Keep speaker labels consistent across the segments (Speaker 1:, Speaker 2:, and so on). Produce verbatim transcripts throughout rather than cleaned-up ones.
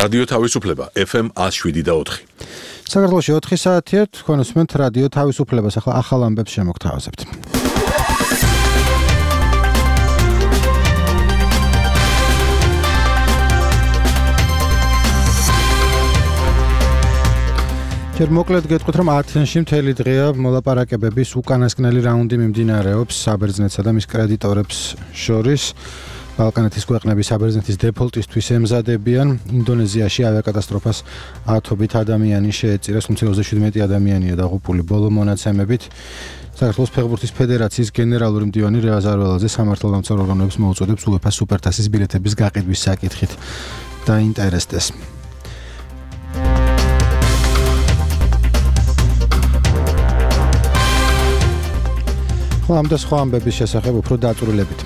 Speaker 1: რადიო თავისუფლება ეფ ემ one oh seven და four.
Speaker 2: საქართველოში ოთხი საათია, თქვენ უსმენთ რადიო თავისუფლებას, ახლა ახალ ამბებს შემოგთავაზებთ. ჯერ მოკლედ გეტყვით, რომ ათენში მთელი დღეა მოლაპარაკებების უკანასკნელი რაუნდი მიმდინარეობს საბერძნეთსა და მის კრედიტორებს შორის. ბალკანეთის ქვეყნები საბერძნეთის დეფოლტისთვის ემზადებიან. ინდონეზიაში ავიაკატასტროფას ათობით ადამიანი შეეწირა, თუმცა ოცდაშვიდი ადამიანია დაღუპული ბოლო მონაცემებით. საქართველოს ფეხბურთის ფედერაციის გენერალური მდივანი რევაზ არველაძე სამართალდამცავ ორგანოებს მოუწოდებს უეფა სუპერთასის ბილეთების გაყიდვის საკითხით დაინტერესდეს. ამ და სხვა ამბების შესახებ უფრო დაწვრილებით.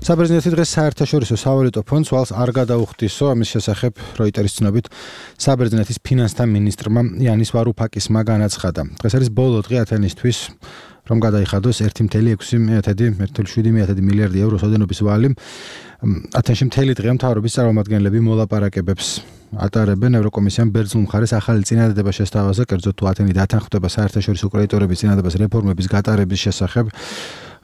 Speaker 2: საბერძნეთი დღეს საერთაშორისო სავალუტო ფონდს ვალს არ გადაუხდისო, ამის შესახებ როიტერის ცნობით საბერძნეთის ფინანსთა მინისტრმა იანის ვარუფაკისმა განაცხადა. დღეს არის ბოლო დღე ათენისთვის, რომ გადაიხადოს one point six seven მილიარდი ევროს ოდენობის ვალი. ათენში მთელი დღე მთავრობის წარმომადგენლები მოლაპარაკებებს ატარებენ. ევროკომისიამ ბერძნულ მხარეს ახალი წინადადება შესთავაზა, კერძოდ თუ ათენი დათანხმდება საერთაშორისო კრედიტორების წინადადებას რეფორმების გატარების შესახებ.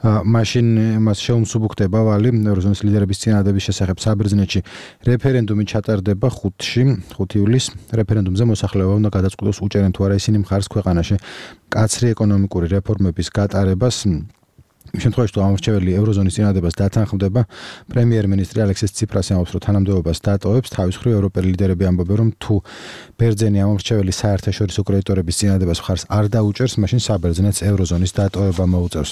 Speaker 2: მაშინ მას შეუმსუბუქდება ვალი ევროზონის ლიდერების წინადადების შესახებ საბერძნეთში რეფერენდუმი ჩატარდება ხუთში, ხუთი ივლისს. რეფერენდუმზე მოსახლეობა უნდა გადაწყვიტოს უჭერენ თუ არა ისინი მხარს ქვეყანაში მკაცრი ეკონომიკური რეფორმების გატარებას. იმ შემთხვევაში თუ ამორჩეველი ევროზონის წინადადებას დათანხმდება, პრემიერ-მინისტრი ალექსის ციprasi ამბობს, რომ თანამდებობას დატოვებს. თავის მხრივ ევროპელი ლიდერები ამბობენ, რომ თუ ბერძენი ამორჩეველი საერთაშორისო კრედიტორების წინადადებას მხარს არ დაუჭერს, მაშინ საბერძნეთს ევროზონის დატოვება მოუწევს.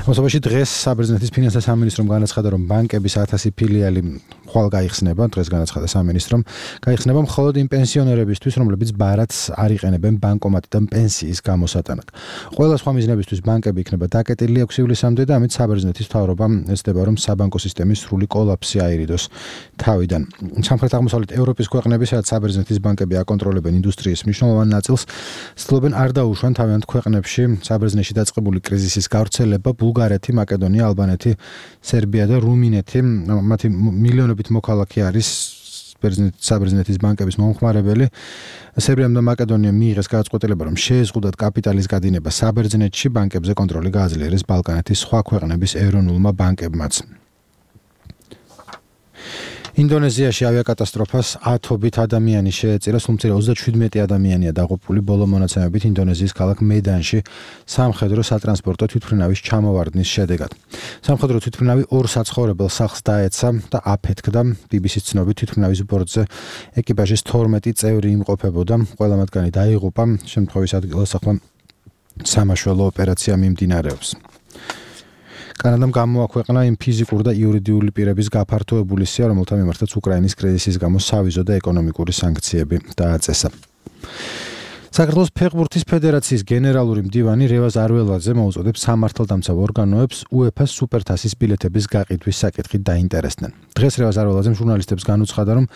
Speaker 2: ამასობაში დღეს საბერძნეთის ფინანსთა სამინისტრომ განაცხადა, რომ ბანკების ათასი ფილიალი ხვალ გაიხსნება, დღეს განაცხადა სამინისტრომ, გაიხსნება მხოლოდ იმ პენსიონერებისთვის, რომლებიც ბარათს არ იყენებენ ბანკომატიდან პენსიის გამოსატანად. ყველა სხვა მიზნებისთვის ბანკები იქნება დაკეტილი ექვსი ივლისამდე და ამით საბერძნეთის მთავრობამ ეცდება, რომ საბანკო სისტემის სრული კოლაფსი აირიდოს თავიდან. სამხრეთ-აღმოსავლეთ ევროპის ქვეყნები, სადაც საბერძნეთის ბანკები აკონტროლებენ ინდუსტრიის მნიშვნელოვან ნაწილს, ცდილობენ არ დაუშვან თავიანთ ქვეყნებში საბერძნეთში დაწყებული კრიზისის გავრცელება. ბულგარეთი, მაკედონია, ალბანეთი, სერბია და რუმინეთი, მათი მილიონობით მოქალაქე არის საბერძნეთის ბანკების მომხმარებელი. სერბიამ და მაკედონიამ მიიღეს გადაწყვეტილება, რომ შეეზღუდათ კაპიტალის გადინება საბერძნეთში, ბანკებზე კონტროლი გააძლიერეს ბალკანეთის სხვა ქვეყნების ეროვნულმა ბანკებმაც. ინდონეზიაში ავიაკატასტროფას ათობით ადამიანი შეეწირა, თუმცა ოცდაშვიდი ადამიანია დაღუპული ბოლო მონაცემებით ინდონეზიის ქალაქ მედანში სამხედრო სატრანსპორტო თვითმფრინავის ჩამოვარდნის შედეგად. სამხედრო თვითმფრინავი ორ საცხოვრებელ სახლს დაეცა და აფეთქდა. ბი ბი სის ცნობით თვითმფრინავის ბორტზე ეკიპაჟის თორმეტი წევრი იმყოფებოდა, ყველა მათგანი დაიღუპა. შემთხვევის ადგილასახმა სამაშველო ოპერაცია მიმდინარეობს. კანადამ გამოაქვეყნა იმ ფიზიკურ და იურიდიული პირების გაფართოებული სია, რომელთა მიმართაც უკრაინის კრიზისის გამო სავიზო და ეკონომიკური სანქციები დააწესა. საქართველოს ფეხბურთის ფედერაციის გენერალური მდივანი რევაზ არველაძე მოუწოდებს სამართალდამცავ ორგანოებს უეფა სუპერთასის ბილეთების გაყიდვის საკითხით დაინტერესდნენ. დღეს რევაზ არველაძემ ჟურნალისტებს განუცხადა, რომ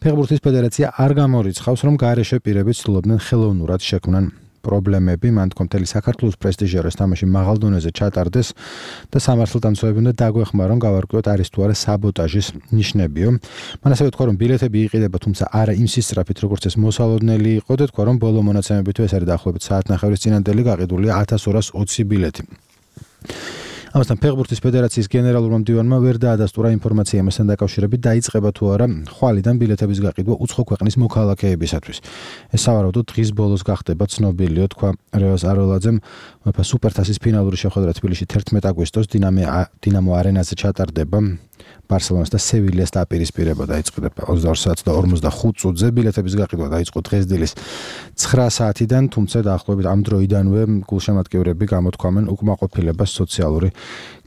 Speaker 2: ფეხბურთის ფედერაცია არ გამორიცხავს, რომ გარეშე პირები ცდილობდნენ ხელოვნურად შექმნან პრობლემები, მან თქვა მთელი საქართველოს პრესტიჟი არის თამაში მაღალ დონეზე ჩატარდეს და სამართალდამცავები უნდა დაგვეხმარონ, გავარკვიოთ არის თუ არა საბოტაჟის ნიშნებიო. მან ასევე თქვა, რომ ბილეთები იყიდება, თუმცა არა იმ სისწრაფით, როგორც ეს მოსალოდნელი იყო და თქვა, რომ ბოლო მონაცემებით ეს არის დაახლოებით საათნახევრის წინანდელი გაყიდულია ათას ორას ოცი ბილეთი. ამასთან ფეხბურთის ფედერაციის გენერალურმა მდივანმა ვერ დაადასტურა ინფორმაცია ამასთან დაკავშირებით, დაიწყება თუ არა ხვალიდან ბილეთების გაყიდვა უცხო ქვეყნის მოქალაქეებისათვის. ეს სავარაუდოდ დღის ბოლოს გახდება ცნობილიო, თქვა რევაზ არველაძემ. უეფა სუპერთასის ფინალური შეხვედრა თბილისში თერთმეტი აგვისტოს დინამო არენაზე ჩატარდება. ბარსელონას და სევილიას დაპირისპირება დაიწყება ოცდაორ საათს და ორმოცდახუთ წუთზე. ბილეთების გაყიდვა დაიწყო დღეს დილის ცხრა საათიდან, თუმცა დაახლოებით ამ დროიდანვე გულშემატკივრები გამოთქვამენ უკმაყოფილებას სოციალური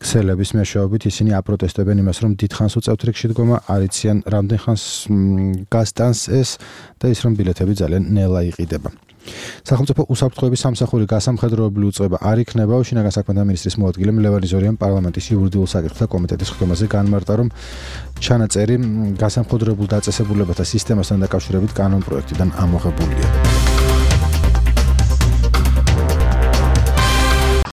Speaker 2: ქსელების მეშვეობით. ისინი აპროტესტებენ იმას, რომ დიდხანს უწევთ რიგში დგომა, არ იციან რამდენ ხანს გასტანს ეს და ის რომ ბილეთები ძალიან ნელა იყიდება. სახელმწიფო უსაფრთხოების სამსახური გასამხედროებული უწყება არ იქნება. შინაგან საქმეთა მინისტრის მოადგილემ ლევან იზორიამ პარლამენტის იურიდიულ საკითხთა კომიტეტის ხდომაზე განმარტა, რომ ჩანაწერი გასამხედროებულ დაწესებულებათა სისტემასთან დაკავშირებით კანონ პროექტიდან ამოღებულია.